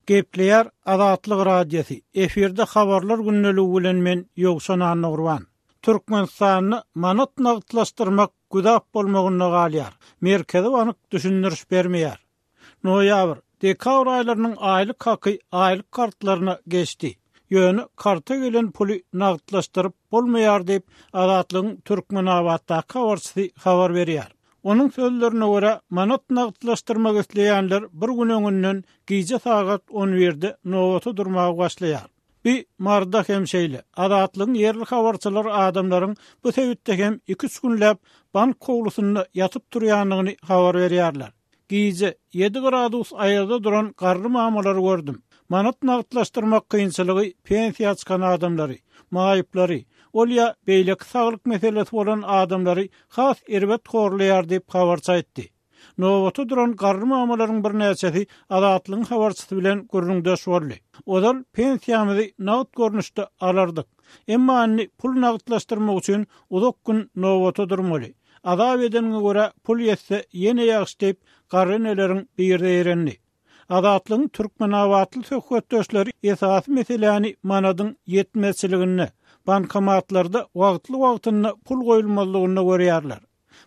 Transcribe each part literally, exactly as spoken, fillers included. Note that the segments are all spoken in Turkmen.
Gepleýär Azatlyk Radiosy. Efirde habarlar gündeligi bilen men Ýowşan Annagurban. Türkmenistanda manat nagtlaşdyrmak güzap bolmagynda galýar. Merkezi bank düşündiriş bermeýär. Noýabr, dekabr aýlarynyň aýlyk haky aýlyk kartlaryna geçdi. Ýöne karta gelen puly nagtlaşdyryp bolmaýar diýip, Azatlygyň Türkmenabatdaky habarçysy habar berýär. Onuň sözlerine görä, manat nagtlaşdyrmak isleýänler bir gün öňünden gije sagat on birde nobata durmaga başlaýar. Bi Maryda hem şeýle. Azatlygyň ýerli habarçylary adamlaryň bu sebitde hem iki-üç günläp bank howlusynda ýatyp turýandygyny habar berýärler. Gije ýedi gradus aýazda duran garry mamalary gördüm. Manat nagtlaşdyrmak kynçylygy pensiýa çykan adamlary, maýyplary, ol ýa beýleki saglyk meselesi bolan adamlary has erbet horlaýar diýip habarçy aýtdy. Nobata duran garry mamalaryň birnäçesi Azatlygyň habarçysy bilen gürrüňdeş boldy. Ozal pensiýamyzy nagt görnüşde alardyk. Emma indi pul nagtlaşdyrmak üçin uzak gün nobata durmaly. Azap edeniňe görä pul ýetse ýene ýagşy diýip garry eneleriň biri eýrendi. Azatlygyň Türkmenabatly söhbetdeşleri esasy meseläni manadyň ýetmezçiliginde, bankomatlarda wagtly-wagtynda pul goýulmazlygynda görýärler.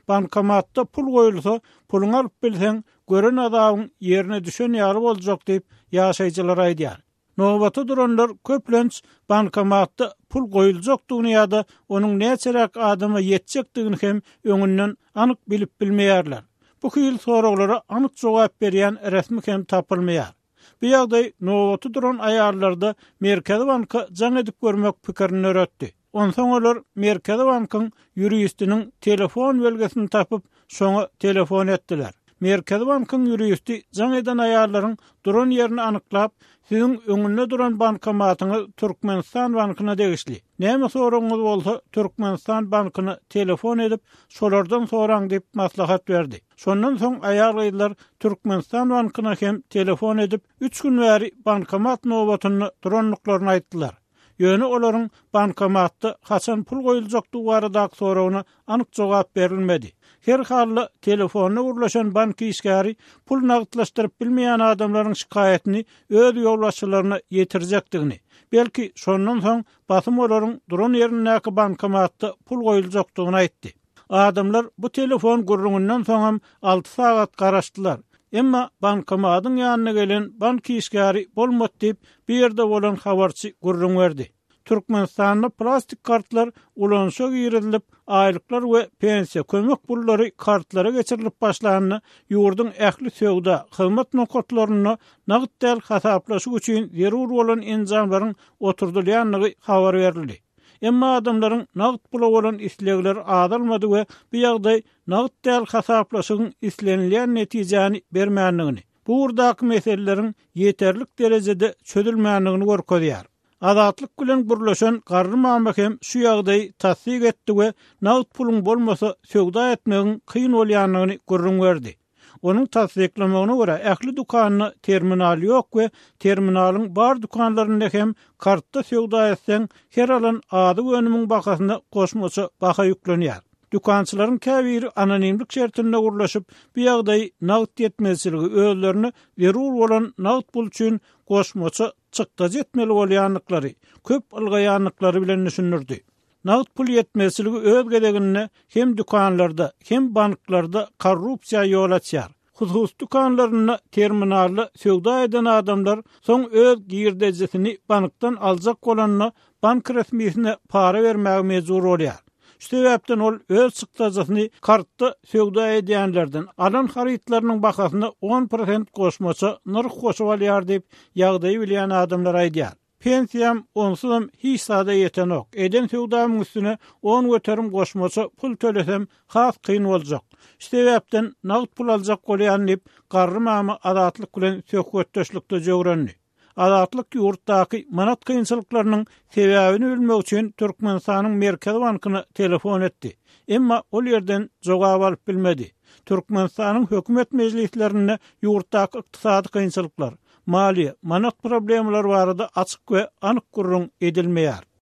Bankomatda pul goýulsa, puluňy alyp bilseň, gören azabyň ýerine düşen ýaly boljak diýip ýaşaýjylar aýdýar. Nobata duranlar köplenç bankomatda pul goýuljakdygyny ýa-da onuň näçeräk adama ýetjekdigini hem öňünden anyk bilip bilmeýärler. Bu hil soraglara anyk jogap berýän resmi hem tapylmaýar. Bu ýagdaý nobata duran aýallarda Merkezi banka jaň edip görmek pikirini döretdi. Onsoň olar Merkezi bankyň ýuristiniň telefon belgisini tapyp, şoňa telefon etdiler. Merkezi bankyň ýuristi jaň eden aýallaryň duran ýerini anyklap, siziň öňünde duran bankomatyňyz Türkmenistan bankyna degişli. Näme soragyňyz bolsa Türkmenistan bankyna telefon edip, şolardan soraň diýip maslahat berdi. Şondan soň aýal gyzlar Türkmenistan bankyna hem telefon edip, üç gün bäri bankomat nobatynda durandyklaryny aýtdylar. Ýöne olaryň bankomatda haçan pul goýuljakdygy baradaky soragyna anyk jogap berilmedi. Her halda telefonda gürleşen bank işgäri pul nagtlaşdyryp bilmeýän adamlaryň şikaýatyny öz ýolbaşçylaryna ýetirjekdigini, belki şondan soň basym olaryň duran ýerindäki bankomatda pul goýuljakdygyny aýtdy. Adamlar bu telefon gürrüňinden soňam alty sagat garaşdylar. Emma bankomatyň ýanyna gelen bank işgäri bolmady diýip, bu ýerde bolan habarçy gürrüň berdi. Türkmenistanda plastik kartlar ulanyşa girizilip, aýlyklar we pensiýa kömek pullary kartlara geçirilip başlandy. Ýurduň ähli söwda, hyzmat nokatlarynda nagt däl hasaplaşyk üçin zerur bolan enjamlaryň oturdylýandygy habar berildi. Emma adamlaryň nagt pula bolan islegleri azalmady we bu ýagdaý nagt däl hasaplaşygyň islenilýän netijäni bermändigini, bu ugurdaky meseleleriň ýeterlik derejede çözülmändigini görkezýär. Azatlyk bilen gürleşen garry mama hem şu ýagdaýy tassyk etdi we nagt puluň bolmasa söwda etmegiň kyn bolýandygyny gürrüň berdi. Onuň tassyklamagyna görä ähli dükanda terminal ýok we terminalyň bar dükanlarynda hem kartda söwda etseň her alan azyk önümiň bahasyna goşmaça baha ýüklenýär. Dükançylaryň käbiri anonimlik şertinde gürleşip, bu ýagdaýy nagt ýetmezçiligi özlerine zerur bolan nagt pul üçin goşmaça çykdajy etmeli bolýandyklary, köp ylgaýandyklary bilen düşündirdi. Nagt pul ýetmezçiligi öz gezeginde hem dükanlarda, hem banklarda korrupsiýa ýol açýar. Hususy dükanlarynda terminalda söwda eden adamlar soň öz girdejisini bankdan aljak bolanda bank resmisine para bermäge mejbur bolýar. Şu sebäpden ol öz çykdajysyny kartda söwda edýänlerden alan harytlarynyň bahasyna on prosent goşmaça nyrh goşup alýar diýip ýagdaýy bilýän adamlar aýdýar. Pensiýam onsuzam hiç zada ýetenok. Eden söwdamyň üstüne on göterim goşmaça pul tölesem has kyn boljak. Şu sebäpden nagt pul aljak bolýan diýip garry mama Azatlyk bilen söhbetdeşlikde jöwrendi. Azatlyk ýurtdaky manat kynçylyklarynyň sebäbini bilmek üçin Türkmenistanyň Merkezi bankyna telefon etdi. Emma ol ýerden jogap alyp bilmedi. Türkmenistanyň hökümet mejlislerinde ýurtdaky ykdysady kynçylyklar, maliýe, manat problemalary barada açyk we anyk gürrüň edilmeýär.